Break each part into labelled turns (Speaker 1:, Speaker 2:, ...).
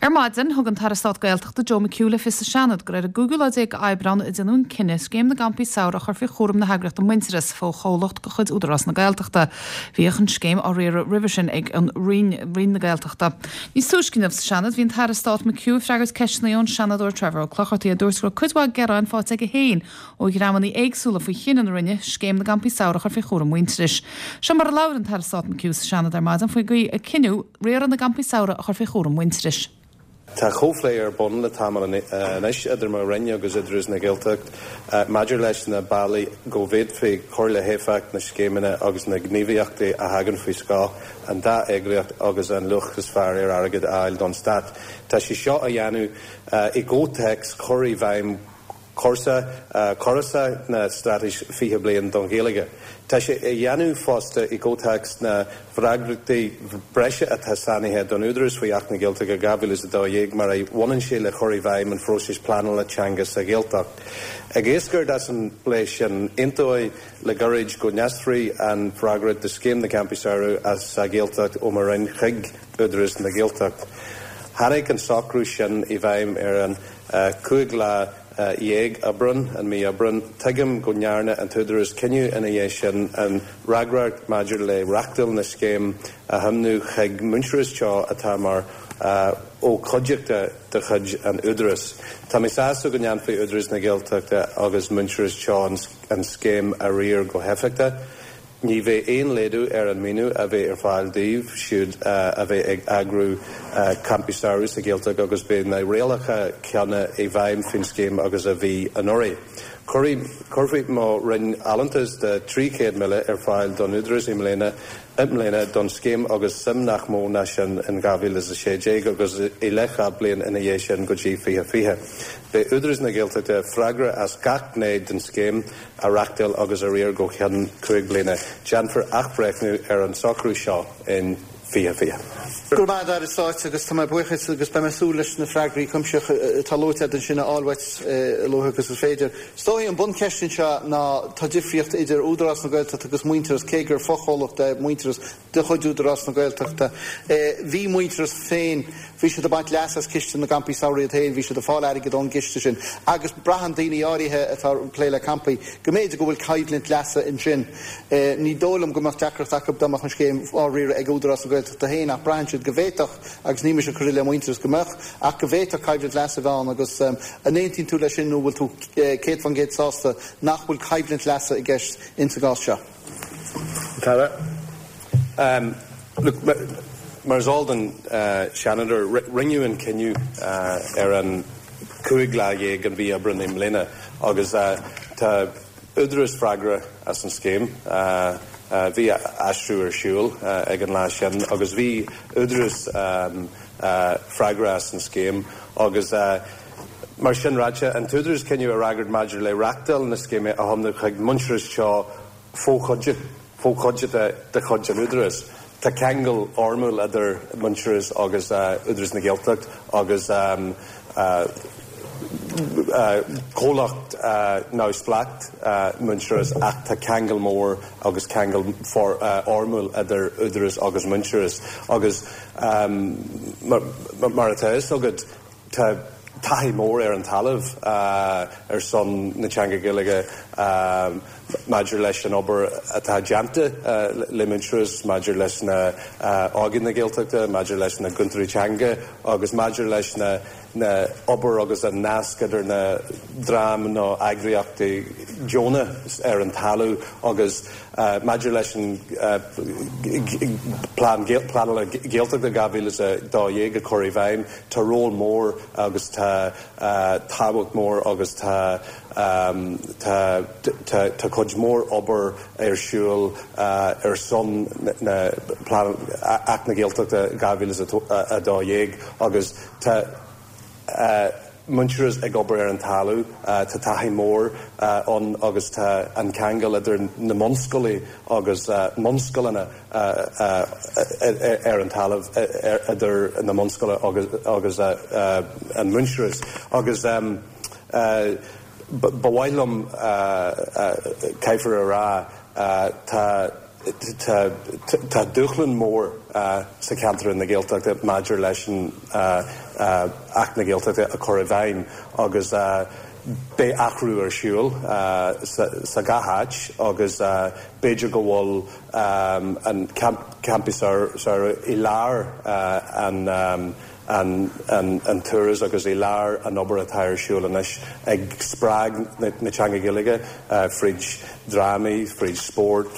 Speaker 1: Ar maidin, thug an tAire Stáit Gaeltachta Joe McHugh le fios sa Seanad gur ar an gcúigiú lá déag d'Aibreán a déanadh an cinneadh Scéim na gCampaí Samhraidh a chur faoi chúram na heagraíochta Muintearas, fo-chomhlacht de chuid Údarás na Gaeltachta. Bhíodh an scéim á riaradh roimhe sin ag an Roinn, Roinn na Gaeltachta. Níos túisce inniu sa Seanad, bhí an tAire Stáit McHugh ag freagairt ceisteanna ón Seanadóir Trevor Ó Clochartaigh a dúirt go raibh cuid mhaith gearáin faighte aige féin ó dhreamanna éagsúla faoi chinneadh na Roinne Scéim na gCampaí Samhraidh a chur faoi chúram Mhuintearais. Seo mar a labhair an tAire Stáit McHugh sa Seanad ar maidin faoin gcaoi a cinneadh riaradh na gcampaí samhraidh a chur faoi chúram Mhuintearais.
Speaker 2: Tá comhphlé ar bun le tamall anois idir mo Roinn agus Údarás na Gaeltacht maidir leis na bealaí go bhféadfaí cur le héifeacht na scéimeanna agus na ngníomhaíochtaí a thagann faoi scáth an dá eagraíocht agus an luach is fearr ar airgead a fháil don Stát. Tá sé seo á dhéanamh i gcomhthéacs chur i bhfeidhm cúrsa córasach na Straitéis 20 Bliain don Ghaeilge. Tá sé á dhéanamh fosta i gcomhthéacs na bhfreagrachtaí breise atá sainithe don Údarás faoi Acht na Gaeltachta 2012 mar a bhaineann sé le cur i bhfeidhm an phróisis pleanála teanga sa Ghaeltacht. Ag eascairt as an bplé sin, aontaíodh le gairid go n-aistreofaí an fhreagracht do Scéim na gCampaí Samhraidh sa Ghaeltacht ó mo Roinn chuig Údarás na Gaeltachta. Tháinig an socrú sin i bhfeidhm ar an 15 lá Aibreán, an mí Aibreán. Tuigim go ndearna an tÚdarás cinneadh ina dhiaidh sin an fhreagracht maidir le reachtáil na scéime a thiomnú chuig Muintearas Teo atá mar fhochuideachta de chuid an Údaráis. Tá mé sásta go ndéanfaidh Údarás na Gaeltachta agus Muintearas Teo an scéim a riar go héifeachtach. Ní bheidh aon laghdú ar an maoiniú a bheidh ar fáil daoibh siúd a bheidh ag eagrú campaí samhraidh sa Ghaeltacht agus beidh na rialacha céanna i bhfeidhm faoin scéim agus a bhí anuraidh. Cuirfidh mo Roinn allúntas de 300,000 ar fáil don Údarás i mbliana i mbliana don scéim agus suim nach mó ná sin in 2016 agus i leith gach bliain ina dhiaidh sin go dtí 2020. Beidh Údarás na Gaeltachta freagrach as gach gné den scéim a reachtáil agus a riar go ceann 5 bliana. Déanfar athbhreithniú ar an socrú seo in 2020.
Speaker 3: Go raibh maith agat, a Aire Stáit, agus tá mé buíoch duit agus beidh mé ag súil leis na freagraí cuimsitheacha atá luaite agat ansin a fháil uait a luaithe agus is féidir. Is dóigh an buncheist anseo ná tá difríocht idir Údarás na Gaeltachta agus Muintearas cé gur fochomhlacht é Muintearas de chuid Údarás na Gaeltachta. Bhí Muintearas féin, bhí siad ag baint leas as ciste na gcampaí samhraidh iad féin, bhí siad ag fáil airgead ón gciste sin agus braitheann daoine áirithe atá ag plé le campaí go mb'fhéidir go bhfuil coimhlint leasa ansin. Ní dóigh liom go mbeadh deacracht acu dá mbeadh an scéim á riaradh ag Údarás na Gaeltachta féin ach braitheann siad go bhféadfadh, agus ní mise ag cur i leith Muintearas, go mbeadh, ach go bhféadfadh coimhlint leasa a bheith ann agus an aontaíonn tú leis sin nó an bhfuil tú 100% sásta nach bhfuil coimhlint leasa i gceist insa gcás seo?
Speaker 2: Tara. Look, mar is eol don Seanadóir, rinneadh an cinneadh ar an 15 lá den mhí Aibreán i mbliana agus tá Údarás freagrach as an scéim. Bhí aistriú ar siúl ag an lá sin agus bhí Údarás freagrach as an scéim agus mar sin ráite, an tÚdarás cinneadh a fhreagairt maidir le reachtáil na scéime a thiomnú chuig Muintearas Teo fo-chuideachta de chuid an Údaráis. Tá ceangal fhoirmiúil idir Muintearas agus Údarás na Gaeltacht agus comhlacht neamhspleách Muintearas ach tá ceangal mór agus ceangal fhoirmiúil idir Údarás agus Muintearas agus mar atá a fhios agat tá taithí mór ar an talamh ar son na teanga Gaeilge maidir leis an obair atá déanta le Muintearas, maidir leis na Óige na Gaeltachta, maidir leis na Cúntóirí Teanga agus maidir leis na na obair agus an nasc idir na dream nó eagraíochtaí deonacha ar an talamh agus maidir leis an Plean Pleanála Gaeltachta 2012 a chur i bhfeidhm, tá ról mór agus tá tábhacht mór agus tá tá tá cuid mhór obair ar siúl ar son na Plean Acht na Gaeltachta 2012 agus tá Muintearas ag obair ar an talamh, tá taithí mór ann agus tá an ceangal idir na mbunscoileanna agus mbunscoileanna ar an talamh idir na mbunscoileanna agus an Muintearas agus ba mhaith liom caithfear a rá tá. Tá dúshlán mór sa cheantar na Gaeltachta maidir leis an Acht na Gaeltachta a chur i bhfeidhm agus beidh athrú ar siúl sa gach áit agus b'fhéidir go bhfuil an campaí samhraidh i lár an an turas agus i lár an obair atá ar siúl anois ag spreag na teanga Gaeilge fríd drámaí, fríd spórt,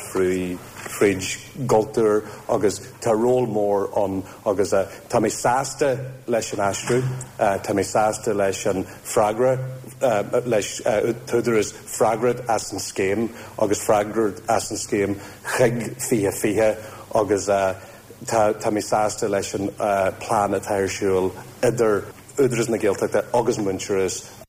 Speaker 2: fríd gcultúr agus tá ról mór ann agus tá mé sásta leis an aistriú, tá mé sásta leis an freagra, leis t-údarás freagrach as an scéim agus freagrach as an scéim chuig 2020 agus Tá tá mé sásta leis an plean atá ar siúl idir Údarás na Gaeltachta agus Muintearas.